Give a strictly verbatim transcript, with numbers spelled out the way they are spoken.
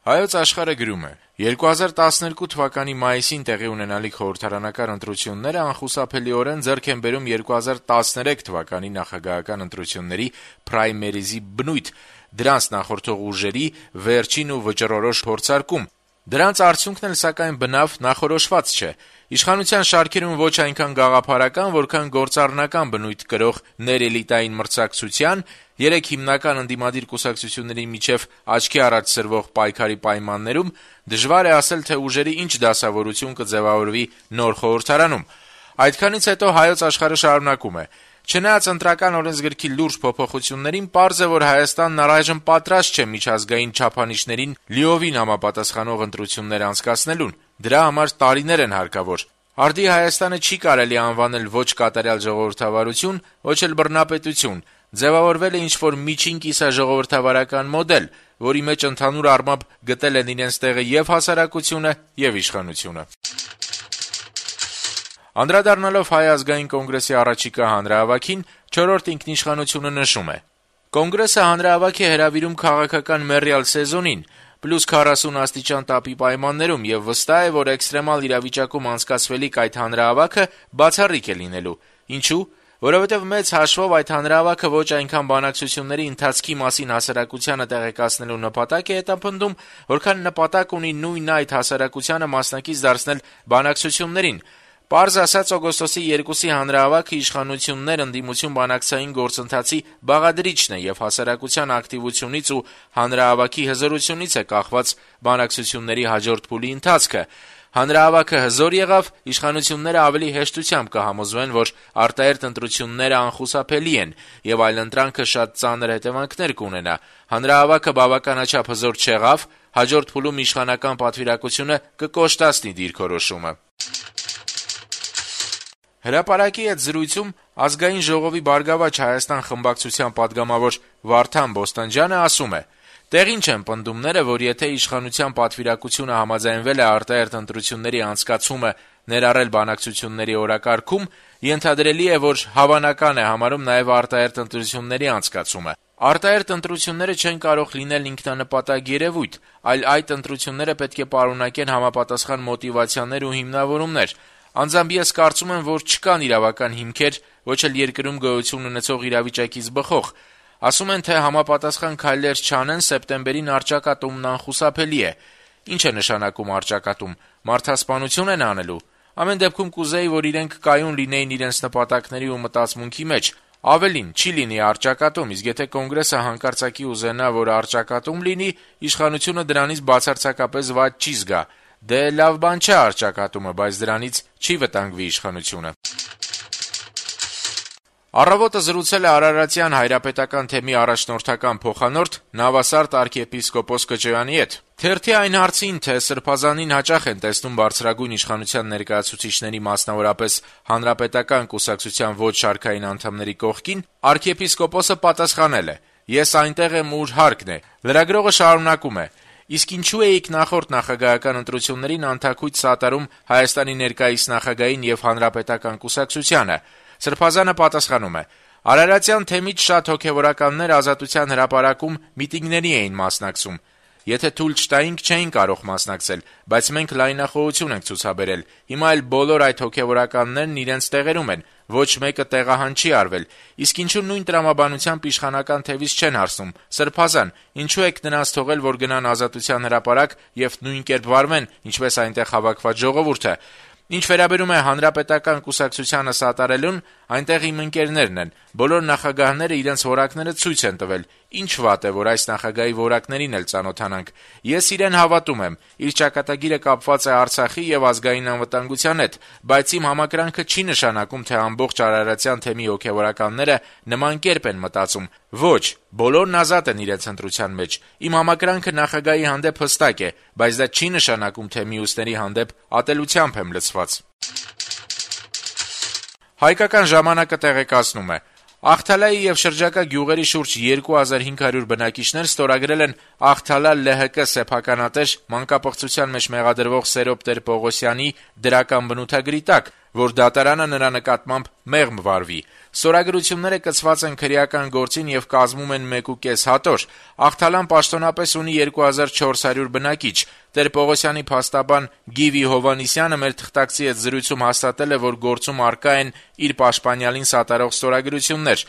Հայոց Աշխարհը գրում է. երկու հազար տասներկու թվականի մայիսին տեղի ունենալիք խորհրդարանական ընտրությունները անխուսափելիորեն ձեռք են բերում երկու հազար տասներեք թվականի նախագահական ընտրությունների պրայմերիզի բնույթ, դրանց նախորդող ուժերի վերջին ու վճռորոշ փորձարկում։ Դրանց արդյունքն էլ սակայն բնավ նախորոշված չէ։ Իշխանության շարքերում ոչ այնքան գաղափարական, որքան գործառնական բնույթ կրող ներէլիտային մրցակցության, երեք հիմնական ընդդիմադիր կուսակցությունների միջև աչքի առաջ սրվող պայքարի պայմաններում դժվար է ասել, թե ուժերի ինչ դասավորություն կձևավորվի նոր խորհրդարանում։ Այդքանից հետո Հայոց Աշխարհը շարունակում է. Չնայած ընտրական օրենսգրքի լուրջ փոփոխություններին, պարզ է, որ Հայաստանն առայժմ պատրաստ չէ միջազգային չափանիշներին լիովին համապատասխանող ընտրություններ անցկացնելուն։ Դրա համար տարիներ են հարկավոր։ Արդի Հայաստանը չի կարելի անվանել ոչ կատարյալ ժողովրդավարություն, ոչ էլ բռնապետություն։ Ձևավորվել է ինչ-որ միջին կիսաժողովրդավարական մոդել, որի մեջ ընդհանուր առմամբ գտել են իրենց տեղը եւ հասարակությունը, եւ իշխանությունը։ Անդրադառնալով Հայ ազգային կոնգրեսի առաջիկա հանրահավաքին, չորրորդ ինքնիշխանությունը նշում է. Կոնգրեսը հանրահավաք է հրավիրում քաղաքական մեռյալ սեզոնին, պլյուս քառասուն աստիճան տապի պայմաններում, եւ վստահ է, որ էքստրեմալ իրավիճակում անցկացվելիք այդ հանրահավաքը բացառիկ է լինելու։ Ինչու՞։ Որովհետև մեծ հաշվով այդ հանրահավաքը ոչ այնքան բանակցությունների ընթացքի մասին հասարակությանը տեղեկացնելու նպատակ է հետապնդում, որքան նպատակ ունի նույն այդ հասարակությանը մասնակից դարձնել բանակցություններին։ Պարզ ասած, օգոստոսի երկուսի հանրահավաքը իշխանություններ ընդդիմություն բանակցային գործընթացի բաղադրիչն է եւ հասարակության ակտիվությունից ու հանրահավաքի հզորությունից է կախված բանակցությունների հաջորդ փուլի ընթացքը։ Հանրահավաքը հզոր եղավ, իշխանությունները ավելի հեշտությամբ կհամոզվեն, որ արտահերթ ընտրությունները անխուսափելի են եւ այլընտրանքը շատ ծանր հետեւանքներ կունենա։ Հանրահավաքը բավականաչափ հզոր չեղավ, հաջորդ փուլում իշխանական պատվիրակությունը կկոշտացնի դիրքորոշումը։ Հրապարակի հետ զրույցում Ազգային ժողովի Բարգավաճ Հայաստան խմբակցության պատգամավոր Վարդան Բոստանջյանը ասում է. «Տեղին չեն պնդումները, որ եթե իշխանության պատվիրակությունը համաձայնվել է արտահերթ ընտրությունների անցկացումը ներառել բանակցությունների օրակարգում, ենթադրելի է, որ հավանական է համարում նաև արտահերթ ընտրությունների անցկացումը։ Արտահերթ ընտրությունները չեն կարող լինել ինքնանպատակ երևույթ, այլ այդ ընտրությունները պետք է պարունակեն համապատասխան մոտիվացիաներ ու հիմնավորումներ։ Անձամբ ես կարծում եմ, որ չկան իրավական հիմքեր, ոչ էլ երկրում գոյություն ունեցող իրավիճակից բխող։ Ասում են, թե համապատասխան քայլեր չանեն, սեպտեմբերին առճակատումն անխուսափելի է։ Ինչ է նշանակում առճակատում։ Մարդասպանություն են անելու։ Ամեն դեպքում կուզեի, որ իրենք կայուն լինեին իրենց նպատակների ու մտածմունքի մեջ։ Ավելին, չի լինի առճակատում, իսկ եթե կոնգրեսը հանկարծակի ուզենա, որ առճակատում լինի, իշխանությունը դրանից բացարձակապես վատ չի զգա։ Դե լավ բան չէ առճակատումը, բայց դրանից չի վտանգվի իշխանությունը»։ Առավոտը զրուցել է Արարատյան հայրապետական թեմի առաջնորդական փոխանորդ Նավասարդ arczepiskopos Կճոյանի հետ։ Թերթի այն հարցին, թե Սրբազանին հաճախ են տեսնում բարձրագույն իշխանության ներկայացուցիչների, մասնավորապես հանրապետական կուսակցության ոչ շարքային անդամների կողքին, arczepiskopos-ը պատասխանել է. «Ես այնտեղ եմ, ուր հարկն է»։ Լրագրողը շարունակում է. «Իսկ ինչու էիք նախորդ նախագահական ընտրություններին անթաքույց սատարում Հայաստանի ներկայիս նախագահին եւ հանրապետական կուսակցությանը»։ Սրբազանը պատասխանում է. «Արարատյան թեմից շատ հոգեվորականներ Ազատության հրապարակում միտինգների էին մասնակցում։ Եթե թույլ չտայինք, չէին կարող մասնակցել, բայց մենք լայնախոհություն ենք ցուցաբերել։ Հիմա էլ բոլոր այդ հոգեվորականներն իրենց տեղերում են, ոչ մեկը տեղահան չի արվել։ Իսկ ինչու նույն տրամաբանությամբ իշխանական թևից չեն հարցնում. Սրբազան, ինչու եք նրանց թողել, որ գնան Ազատության հրապարակ եւ նույն կերպ վարվեն, ինչպես այնտեղ հավաքված ժողովուրդը։ Ինչ վերաբերում է հանրապետական կուսակցությանը սատարելուն, այնտեղ իմ ընկերներն են։ Բոլոր նախագահները իրենց որակները ցույց են տվել։ Ինչ վատ է, որ այս նախագահի որակներին էլ ծանոթանանք։ Ես իրեն հավատում եմ։ Իր ճակատագիրը կապված է Արցախի եւ ազգային անվտանգության հետ, բայց իմ համակրանքը չի նշանակում, թե ամբողջ Արարատյան թեմի հոգեվորականները նման կերպ են մտածում։ Ոչ, բոլորն ազատ են իրենց ընտրության մեջ։ Իմ համակրանքը նախագահի հանդեպ հստակ է, բայց դա չի նշանակում, թե մյուսների հանդեպ ատելությամբ եմ լցված»։ Հայկական ժամանակը տեղեկացնում է. Աղթալայի եւ շրջակա գյուղերի շուրջ երկու հազար հինգ հարյուր բնակիչներ ստորագրել են Աղթալա L H K սեփականատեր մանկապղծության մեջ մեղադրվող Սերոբ Տեր-Պողոսյանի դրական բնութագրի տակ, որ դատարանը նրա նկատմամբ մեղմ վարվի։ Ստորագրությունները կցված են քրեական գործին եւ կազմում են մեկ ու կես հատոր։ Աղթալան պաշտոնապես ունի երկու հազար չորս հարյուր բնակիչ։ Տեր-Պողոսյանի փաստաբան Գիվի Հովհաննիսյանը մեր թղթակցի հետ զրույցում հաստատել է, որ գործում առկա են իր պաշտպանյալին սատարող ստորագրություններ։